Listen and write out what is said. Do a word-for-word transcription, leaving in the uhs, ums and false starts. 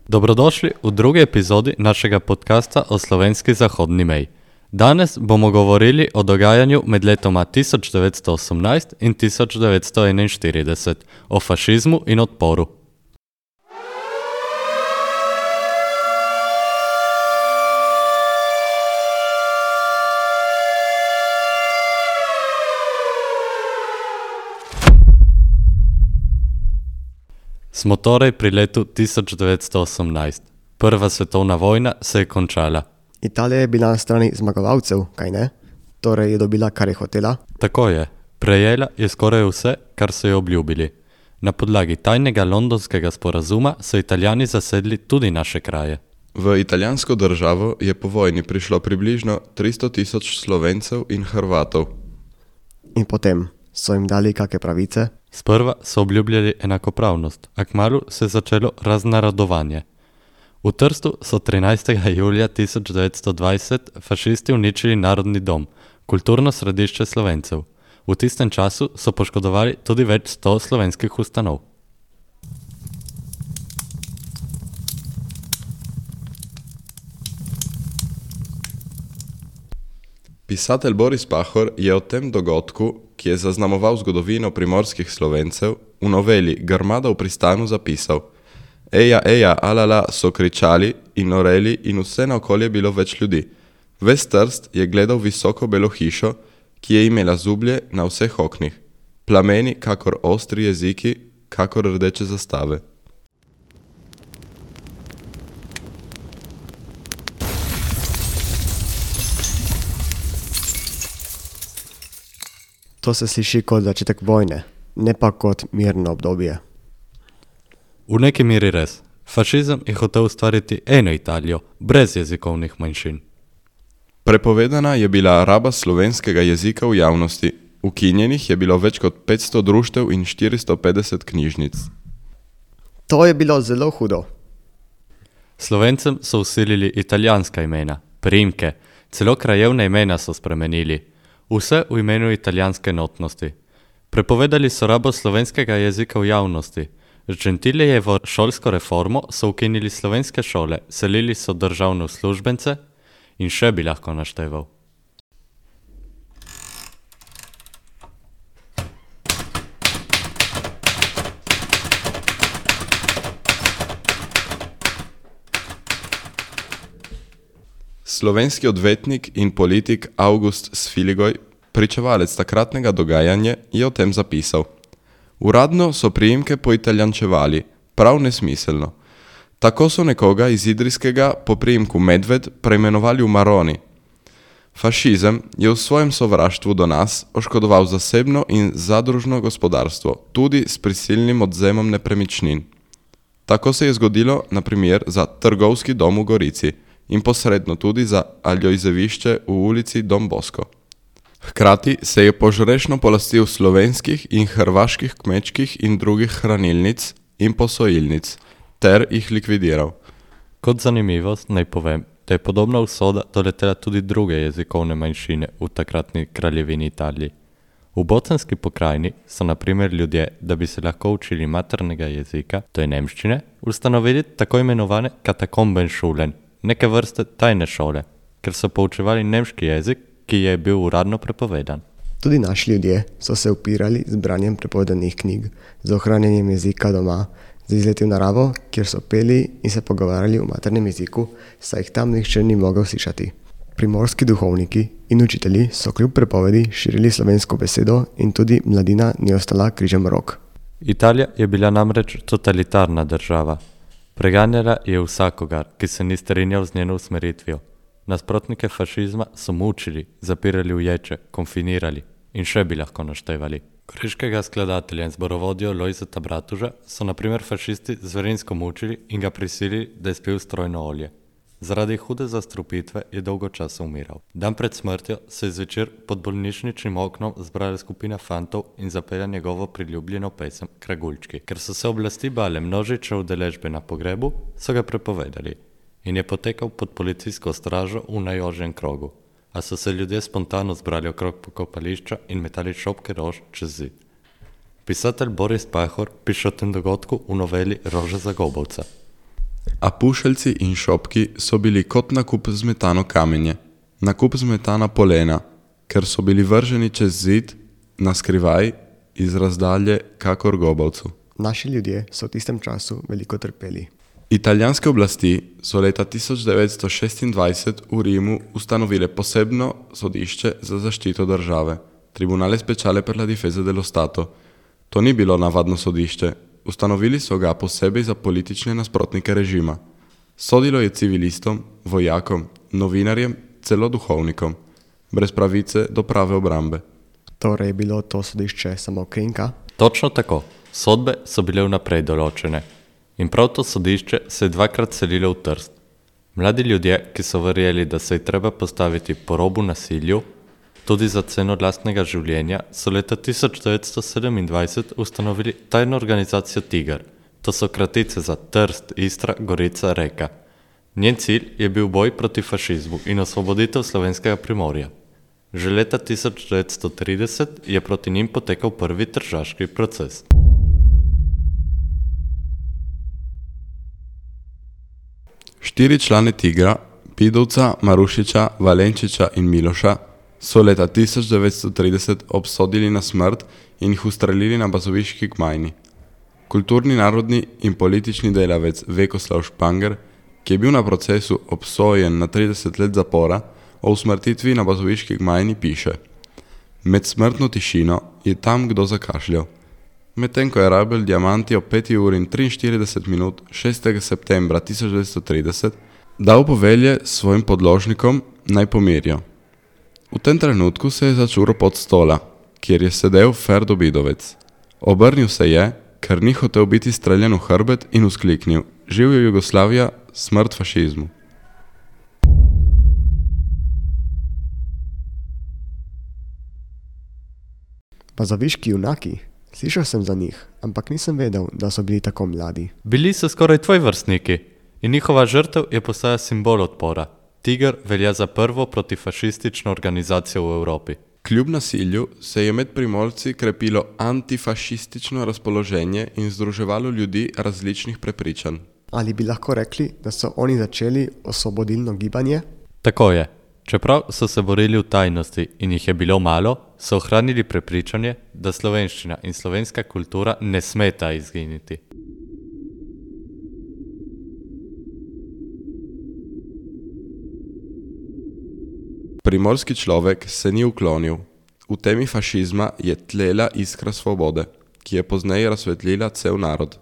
Dobrodošli v drugi epizodi našega podcasta o slovenski zahodni meji. Danes bomo govorili o dogajanju med letoma tisoč devetsto osemnajst in tisoč devetsto enainštirideset, o fašizmu in odporu. Smo torej pri letu tisoč devetsto osemnajst. Prva svetovna vojna se je končala. Italija je bila na strani zmagovalcev, kaj ne? Torej je dobila, kar je hotela? Tako je. Prejela je skoraj vse, kar so jo obljubili. Na podlagi tajnega londonskega sporazuma so Italijani zasedli tudi naše kraje. V italijansko državo je po vojni prišlo približno tristo tisoč Slovencev in Hrvatov. In potem so jim dali kakšne pravice? Sprva so obljubljali enakopravnost, a kmalu se je začelo raznarodovanje. V Trstu so trinajstega julija tisoč devetsto dvajset fašisti uničili Narodni dom, kulturno središče Slovencev. V tistem času so poškodovali tudi več sto slovenskih ustanov. Pisatelj Boris Pahor je o tem dogodku, ki je zaznamoval zgodovino primorskih Slovencev, v noveli Grmada v pristanu zapisal: Eja, eja, alala so kričali in noreli in vse naokoli je bilo več ljudi. Ves Trst je gledal visoko belo hišo, ki je imela zublje na vseh oknih, plameni kakor ostri jeziki, kakor rdeče zastave. To se sliši kot začetek vojne, ne pa kot mirno obdobje. V neki meri res. Fašizem je hotel ustvariti eno Italijo, brez jezikovnih manjšin. Prepovedana je bila raba slovenskega jezika v javnosti. Ukinjenih je bilo več kot petsto društev in štiristo petdeset knjižnic. To je bilo zelo hudo. Slovencem so vsilili italijanska imena, priimke, celo krajevne imena so spremenili. Vse v imenu italijanske enotnosti. Prepovedali so rabo slovenskega jezika v javnosti. Z Gentilijevo šolsko reformo so ukinili slovenske šole, selili so državne uslužbence in še bi lahko našteval. Slovenski odvetnik in politik August Sfiligoj, pričevalec takratnega dogajanja, je o tem zapisal: Uradno so priimke poitalijančevali, prav nesmiselno. Tako so nekoga iz Idrijskega po priimku Medved preimenovali v Maroni. Fašizem je v svojem sovraštvu do nas oškodoval zasebno in zadružno gospodarstvo, tudi s prisilnim odzemom nepremičnin. Tako se je zgodilo, na primer, za trgovski dom v Gorici in posredno tudi za Aljojzevišče v ulici Don Bosco. Hkrati se je požrešno polastil slovenskih in hrvaških kmečkih in drugih hranilnic in posojilnic ter jih likvidiral. Kot zanimivost naj povem, da je podobna usoda doletela tudi druge jezikovne manjšine v takratni kraljevini Italiji. V bosanski pokrajini so na primer ljudje, da bi se lahko učili maternega jezika, to je nemščine, ustanovili tako imenovane katakombenšulen, neke vrste tajne šole, ker so poučevali nemški jezik, ki je bil uradno prepovedan. Tudi naši ljudje so se upirali z branjem prepovedanih knjig, z ohranjanjem jezika doma, z izleti v naravo, kjer so peli in se pogovarjali v maternem jeziku, saj jih tam nihče ni mogel slišati. Primorski duhovniki in učitelji so kljub prepovedi širili slovensko besedo in tudi mladina ni ostala križem rok. Italija je bila namreč totalitarna država. Preganjala je vsakogar, ki se ni strinjal z njeno usmeritvijo. Nasprotnike fašizma so mučili, zapirali v ječe, konfinirali in še bi lahko naštevali. Goriškega skladatelja in zborovodjo Lojzeta Bratuža so na primer fašisti zverinsko mučili in ga prisilili, da je spil strojno olje. Zaradi hude zastrupitve je dolgo časa umiral. Dan pred smrtjo se je zvečer pod bolnišničnim oknom zbrala skupina fantov in zapela njegovo priljubljeno pesem Kraguljčki. Ker so se oblasti bale množične udeležbe na pogrebu, so ga prepovedali in je potekal pod policijsko stražo v najožjem krogu. A so se ljudje spontano zbrali okrog pokopališča in metali šopke rož čez zid. Pisatelj Boris Pahor piše o tem dogodku v noveli Rože za Gobovca. A pušeljci in šopki so bili kot nakup zmetano kamenje, nakup zmetana polena, ker so bili vrženi čez zid, na skrivaj, iz razdalje, kakor gobavcu. Naši ljudje so v tistem času veliko trpeli. Italijanske oblasti so leta tisoč devetsto šestindvajset v Rimu ustanovile posebno sodišče za zaščito države, Tribunale Speciale per la Difesa dello Stato. To ni bilo navadno sodišče, ustanovili so ga posebej za politične nasprotnike režima. Sodilo je civilistom, vojakom, novinarjem, celo duhovnikom, brez pravice do prave obrambe. Torej je bilo to sodišče samo krinka? Točno tako. Sodbe so bile vnaprej določene. In prav to sodišče se je dvakrat selilo v Trst. Mladi ljudje, ki so verjeli, da se je treba postaviti po robu nasilju, tudi za ceno lastnega življenja, so leta tisoč devetsto sedemindvajset ustanovili tajno organizacijo Tiger. To so kratice za Trst, Istra, Gorica, Reka. Njen cilj je bil boj proti fašizmu in osvoboditev slovenskega primorja. Že leta tisoč devetsto trideset je proti njim potekal prvi tržaški proces. Štiri člane Tigra, Pidovca, Marušiča, Valenčiča in Miloša, so leta tisoč devetsto trideset obsodili na smrt in jih ustrelili na bazoviški gmajni. Kulturni, narodni in politični delavec Vekoslav Španger, ki je bil na procesu obsojen na trideset let zapora, o usmrtitvi na bazoviški gmajni piše: Med smrtno tišino je tam kdo zakašljal. Medtem ko je Rabel Diamanti ob peti uri in triinštirideset minut šestega septembra tisoč devetsto trideset dal povelje svojim podložnikom naj pomirijo. V tem trenutku se je začural pod stola, kjer je sedel Ferdo Bidovec. Obrnil se je, ker ni hotel biti streljan v hrbet, in vzkliknil: Živjo Jugoslavija, smrt fašizmu. Bazoviški junaki? Slišal sem za njih, ampak nisem vedel, da so bili tako mladi. Bili so skoraj tvoji vrstniki in njihova žrtev je postala simbol odpora. Tiger velja za prvo protifašistično organizacijo v Evropi. Kljub nasilju se je med Primorci krepilo antifašistično razpoloženje in združevalo ljudi različnih prepričanj. Ali bi lahko rekli, da so oni začeli osvobodilno gibanje? Tako je. Čeprav so se borili v tajnosti in jih je bilo malo, so ohranili prepričanje, da slovenščina in slovenska kultura ne smeta izginiti. Primorski človek se ni uklonil. V temi fašizma je tlela iskra svobode, ki je pozneje razsvetlila cel narod.